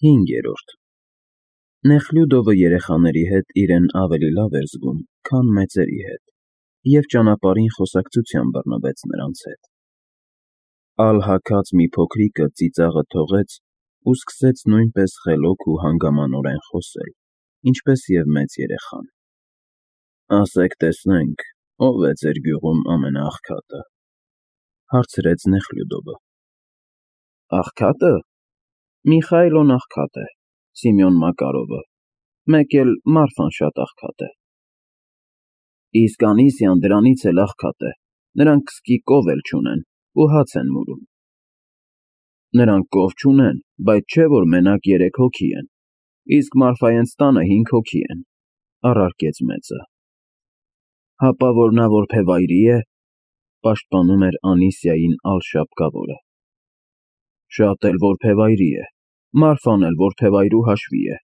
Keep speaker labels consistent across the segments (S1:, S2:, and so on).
S1: 5-րդ Նեխլյուդովը երեխաների հետ իրեն ավելի լավ էր զգում, քան մեծերի հետ, և ճանապարհին խոսակցության բռնվեց նրանց հետ. ալհաքած մի փոքրիկը ծիծաղը թողեց ու սկսեց նույնպես խելոք ու հանգամանորեն խոսել, ինչպես և մեծ երեխան. ասեք տեսնենք, ո՞վ է ձեր գյուղում ամենաաղքատը, հարցրեց Նեխլյուդովը. աղքատը, Միխայլոն աղքատ է, Սիմոն Մակարովը, մեկ էլ Մարֆան շատ աղքատ է, իսկ Անիսիան դրանից էլ աղքատ է, նրանք սկի կով էլ չունեն ու հաց են մուրում, նրանք կով չունեն, բայց չէ որ մենակ 3 հոգի են, իսկ Մարֆայենց տանը 5 հոգի են, առարկեց մեծը, հապա որ նա որբևայրի է, պաշտպանում էր Անիսիային Ալշապկավորը, շատ էլ որբևայրի է, Մարֆան էլ որբևայրու հաշվի է,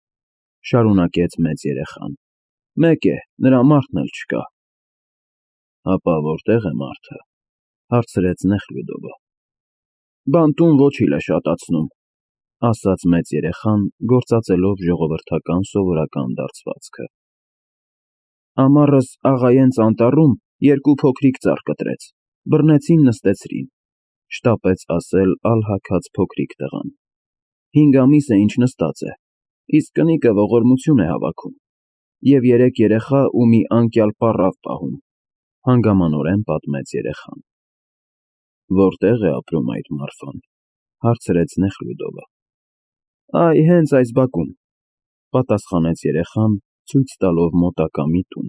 S1: շարունակեց մեծ երեխան, մեկ է, նրա մարդն էլ չկա, հապա որտե՞ղ է մարդը, հարցրեց Նեխլյուդովը, բանտում ոչիլ է շատացնում, ասաց մեծ երեխան, գործածելով ժողովրդական սովորական դարձվածքը, ամառս աղայենց անտառում 2 փոքրիկ ծառ կտրեց, բռնեցին նստեցրին, շտապեց ասել ալհաքած փոքրիկ տղան, 5 ամիս է ինչ նստած է, իսկ կնիկը ողորմություն է հավաքում, և 3 երեխա ու մի անկյալ պառավ պահում, հանգամանորեն պատմեց երեխան, որտե՞ղ է ապրում այդ Մարֆան, հարցրեց Նեխլյուդովը, այ հենց այս բակում, պատասխանեց երեխան, ցույց տալով մոտակա մի տուն,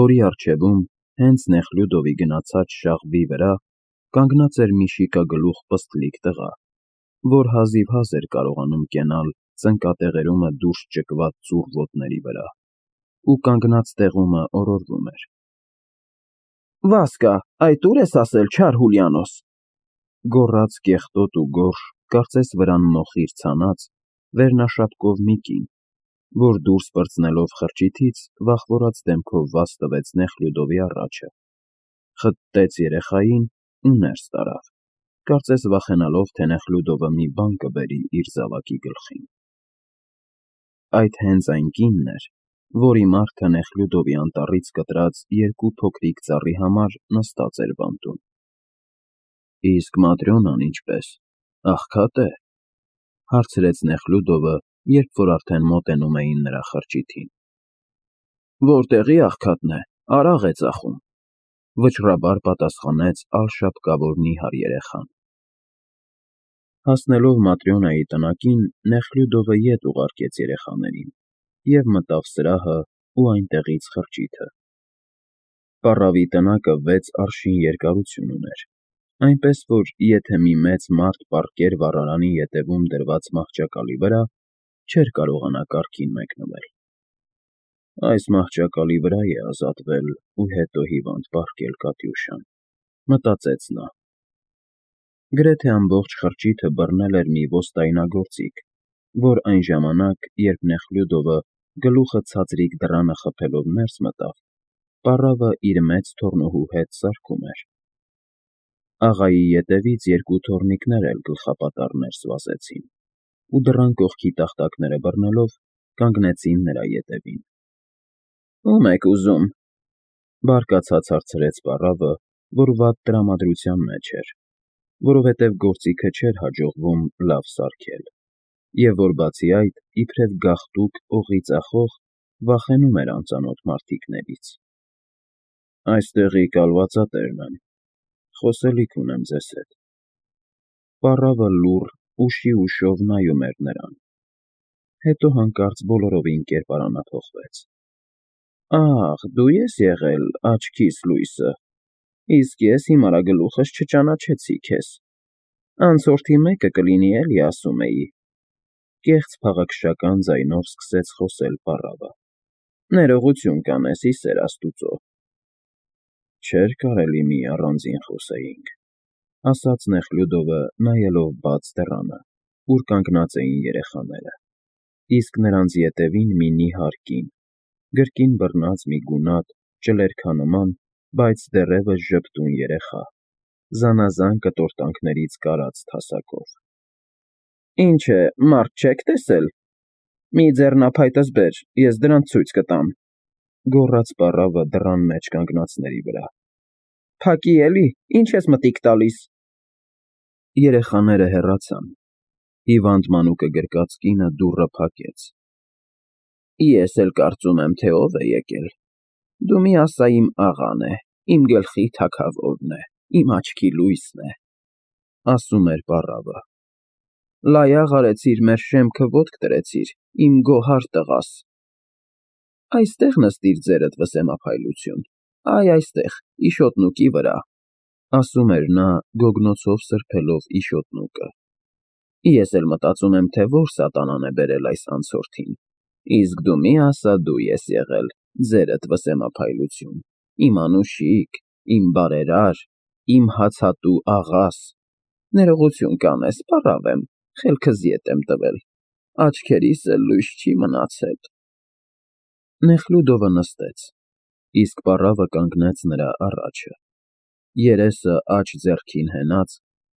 S1: որի առջևում, հենց Նեխլյուդովի գնացած շաղվի վրա, կանգնած էր մի շիկագլուխ պստլիկ տղա, որ հազիվհազ էր կարողանում կենալ ծնկատեղերումը դուրս ճկված ծուռ ոտների վրա, ու կանգնած տեղումը օրորվում էր. Վասկա, այդ ուր ես ասել, չար Հուլիանոս, գոռաց կեղտոտ ու գորշ, կարծես վրան մոխիր ցանած, վերնաշապկով մի կին, որ դուրս պրծնելով խրճիթից, վախվորած դեմքով վազ տվեց Նեխլյուդովի առաջը, խտտեց երեխային ու ներս տարավ, կարծես վախենալով, թե Նեխլյուդովը մի բան կբերի իր զավակի գլխին. Այդ հենց այն կինն էր, որի մարդը Նեխլյուդովի անտառից կտրած 2 փոքրիկ ծառի համար նստած էր բանտում. Իսկ Маտրյոնան ինչպես, աղքատ է, հարցրեց Նեխլյուդովը, երբ որ արդեն մոտենում էին նրա խրճիթին. Որտեղի աղքատն է, արաղ է ծախում, վճռաբար պատասխանեց ալշապկավոր նիհար երեխան. Հասնելով Маտրյոնայի տնակին, Նեխլյուդովը ետ ուղարկեց երեխաներին և մտավ սրահը ու այնտեղից խրճիթը. պառավի տնակը 6 արշին երկարություն ուներ, այնպես որ եթե մի մեծ մարդ պառկեր վառարանի ետևում դրված մահճակալի վրա, չէր կարողանա կառքին մեկնվել. այս մահճակալի վրա է ազատվել ու հետո հիվանդ պառկել Կատյուշան, մտածեց նա. գրեթե ամբողջ խրճիթը բռնել էր մի ոստայնագործիկ, որ այն ժամանակ, երբ Նեխլյուդովը գլուխը ցածրիկ դռանը խփելով ներս մտավ, պառավը իր մեծ թոռնուհու հետ սարքում էր. աղայի ետևից 2 թոռնիկներ էլ գլխապատառ ներս վազեցին, ու դռան կողքի տախտակները բռնելով, կանգնեցին նրա ետևին. Ո՞ւմ եք ուզում, բարկացած հարցրեց պառավը, որ վատ տրամադրության մեջ էր, որովհետև գործիքը չէր հաջողվում լավ սարքել, և որ բացի այդ, իբրև գաղտուկ օղի ծախող, վախենում էր անծանոթ մարդիկներից. այստեղի կալվածատերն եմ, խոսելիք ունեմ ձեզ հետ, պառավը լուռ, ուշի ուշով նայում էր նրան, հետո հանկարծ բոլորովին կերպարանափոխվեց. Ահ, դու ես եղել աչքիս լույսը, իսկ ես հիմարագլուխս չճանաչեցի քեզ, անցորդի մեկը կլինի էլի ասում էի, կեղծ փաղաքշական ձայնով սկսեց խոսել պառավը, ներողություն կանես ի սեր Աստուծո, չէր կարելի մի առանձին խոսեինք, ասաց Նեխլյուդովը, նայելով բաց դռանը, ուր կանգնած էին երեխաները, իսկ նրանց ետևին մի նիհար կին, գրկին բռնած մի գունատ, ճլերքանման, բայց դեռևս ժպտուն երեխա, զանազան կտորտանքներից կարած թասակով. Ինչ է, մարդ չեք տեսել։ Մի ձեռնափայտս բեր, ես դրանց ցույց կտամ, գոռաց պառավը դռան մեջ կանգնածների վրա։ Փակի էլի, ինչ ես մտիկ տալիս։ Երեխաները հեռացան։ Հիվանդ մանուկը գրկած կինը դուռը փակեց։ Ես էլ կարծում եմ, թե ով է եկել։ Դու մի ասա իմ աղան է, իմ գլխի թագավորն է, իմ աչքի լույսն է, ասում էր պառավը։ Լայաղ արեցիր, մեր շեմքը ոտք դրեցիր, իմ գոհար տղաս։ Այստեղ նստիր ձերդ վսեմափայլություն, այ այստեղ, իշոտնուկի վրա, ասում էր նա, գոգնոցով սրբելով իշոտնուկը։ Ես էլ մտածում եմ, թե որ սատանան է բերել այս անցորդին, իսկ դու մի ասա դու ես եղել, ձերդ վսեմափայլություն, իմ անուշիկ, իմ բարերար, իմ հացատու աղաս, ներողություն կանես, պառավ եմ, խելքս ետ եմ տվել, աչքերիս էլ լույս չի մնացել։ Նեխլուդովը նստեց, իսկ պառավը կանգնեց նրա առաջը, երեսը աջ ձեռքին հենած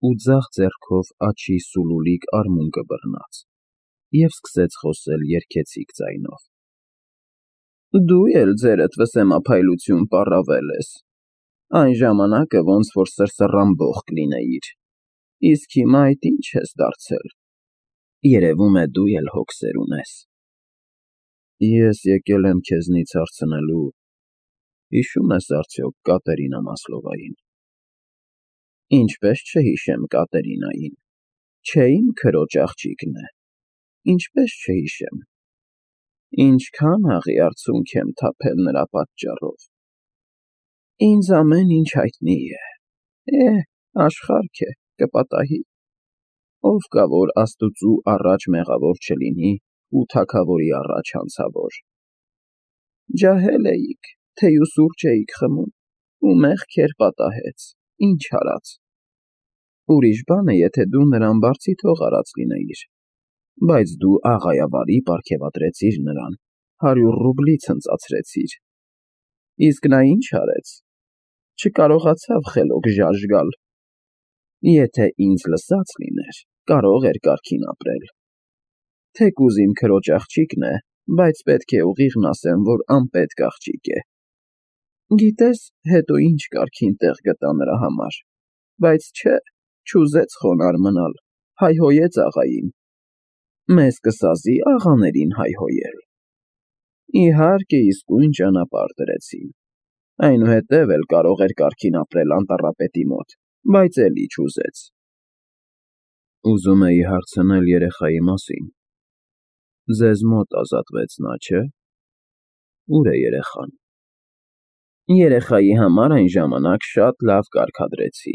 S1: ու ձախ ձեռքով աջի սուլուլիկ արմունկը բռնած, և սկսեց խոսել երգեցիկ ձայնով. Դու էլ ձերդ վսեմափայլություն պառավել ես, այն ժամանակը ոնց որ սրսռամբող կլինեիր, իսկ հիմա այդ ինչ ես դարձել, երևում է դու էլ հոգսեր ունես։ Ես եկել եմ քեզնից հարցնելու, հիշում ես արդյոք Կատերինա Մասլովային։ Ինչպես չհիշեմ Կատերինային, չէ իմ քրոջ աղջիկն է, ինչպես չհիշեմ, ինչքան հաղի արցունք եմ թափել նրա պատճառով։ Ինձ ամեն ինչ հայտնի է, աշխարհք է, կպատահի, ով կա, որ Աստծու առաջ մեղավոր չլինի ու թագավորի առաջ հանցավոր։ Ջահել էիք, թեյ ու սուրճ էիք խմում, ու մեղքեր պատահեց, ինչ արած։ Ուրիշ բան է, եթե դու նրան բարձի թող արած լինեիր, բայց դու աղայավարի պարգևատրեցիր նրան, 100 ռուբլի ցնծացրեցիր։ Իսկ նա ինչ արեց։ Չկարողացավ խելոք ժաժգալ։ Եթե ինձ լսած լիներ, կարող էր կարգին ապրել։ Թեկուզ իմ քրոջ աղջիկն է, բայց պետք է ուղիղն ասեմ, որ անպետք աղջիկ է։ Գիտես, հետո ինչ կարգին տեղ գտա նրա համար, բայց չէ, չուզեց խոնարհ մնալ, հայհոյեց աղային։ Մեզ կսազի աղաներին հայհոյել։ Իհարկե, իսկույն ճանապարհ դրեցին։ Այնուհետև էլ կարող էր կարգին ապրել անտառապետի մոտ, բայց էլի չուզեց։ Ուզում էի հարցնել երեխայի մասին։ Ձեզ մոտ ազատվեց նա, չէ՞։ Ուր է երեխան։ Երեխայի համար այն ժամանակ շատ լավ կարգադրեցի։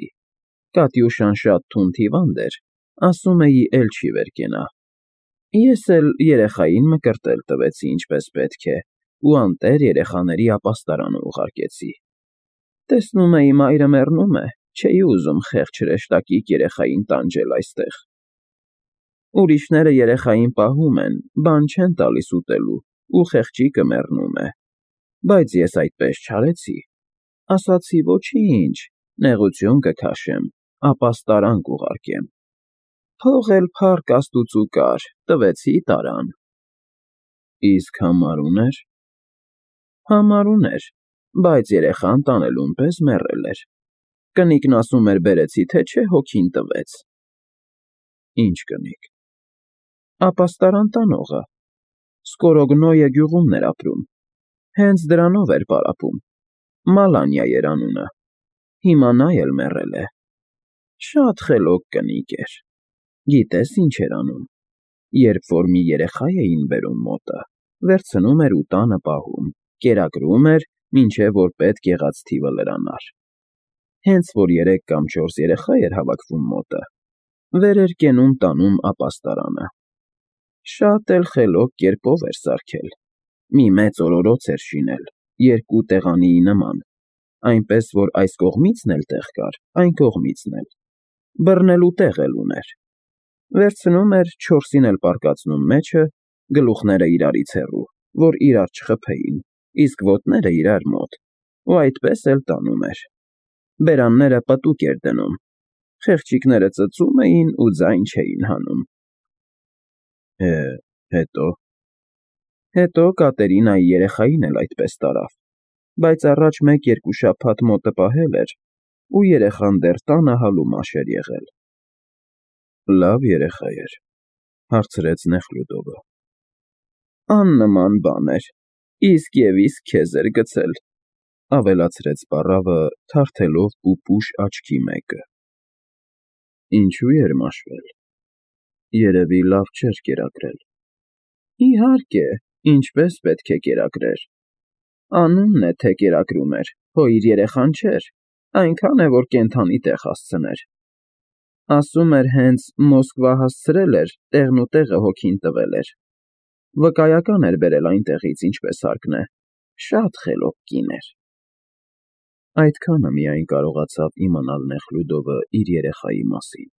S1: Կատյուշան շատ թունդ հիվանդ էր, ասում էի էլ չի վեր կենա։ Ես էլ երեխային մկրտել տվեցի ինչպես պետք է, ու անտեր երեխաների ապաստարանը ուղարկեցի։ Տեսնում էի մայրը մեռնում է, չէի ուզում խեղճ հրեշտակիկ երեխային տանջել այստեղ։ Ուրիշները երեխային պահում են, բան չեն տալիս ուտելու, ու խեղճիկը մեռնում է։ Բայց ես այդպես չարեցի։ Ասացի ոչինչ, նեղություն կքաշեմ, ապաստարան կուղարկեմ։ Փող էլ փառք Աստուծու կար, տվեցի տարան։ Իսկ համար ուներ։ Համար ուներ, բայց երեխան տանելուն պես մեռել էր։ Կնիկն ասում էր բերեցի, թե չէ հոգին տվեց։ Ինչ կնիկ։ Ապաստարան տանողը։ Սկորոգնոյե գյուղումն էր ապրում։ Հենց դրանով էր պարապում։ Մալանյա էր անունը։ Հիմա նա էլ մեռել է։ Շատ խելոք կնիկ էր։ Գիտես ինչ էր անում։ Երբ որ մի երեխա էին բերում մոտը, վերցնում էր ու տանը պահում, կերակրում էր, մինչև որ պետք եղած թիվը լրանար։ Հենց որ 3 կամ 4 երեխա էր հավաքվում մոտը, վեր էր կենում տանում ապաստարանը։ Շատ էլ խելոք կերպով էր սարքել։ Մի մեծ օրորոց էր շինել, 2 տեղանիի նման, այնպես որ այս կողմիցն էլ տեղ կար, այն կողմիցն էլ։ Բռնելու տեղ էլ ուներ։ Վերցնում էր 4-ին էլ պարկացնում մեջը, գլուխները իրարից հեռու, որ իրար չխփեին, իսկ ոտները իրար մոտ, ու այդպես էլ տանում էր։ Բերանները պտուկ էր դնում։ Խեղճիկները ծծում էին ու ձայն չէին հանում։ Է, հետո։ Հետո Կատերինայի երեխային էլ այդպես տարավ, բայց առաջ 1-2 շաբաթ մոտը պահել էր, ու երեխան դեռ տանը հալու մաշ էր եղել։ Լավ երեխա էր, հարցրեց Նեխլյուդովը։ Աննման բան էր, իսկ և իսկ քեզ էր գցել, ավելացրեց պառավը, թարթելով պուպուշ աչքի մեկը։ Ինչու էր մաշվել։ Երևի լավ չէր կերակրել։ Իհարկե, ինչպես պետք է կերակրեր։ Անունն է, թե կերակրում էր, հո իր երեխան չէր, այնքան է, որ կենդանի տեղ հասցներ։ Ասում էր հենց Մոսկվա հասցրել էր, տեղն ու տեղը հոգին տվել էր։ Վկայական էր բերել այնտեղից, ինչպես հարկն է, շատ խելոք կին էր։ Այդքանը միայն կարողացավ իմանալ Նեխլյուդովը իր երեխայի մասին։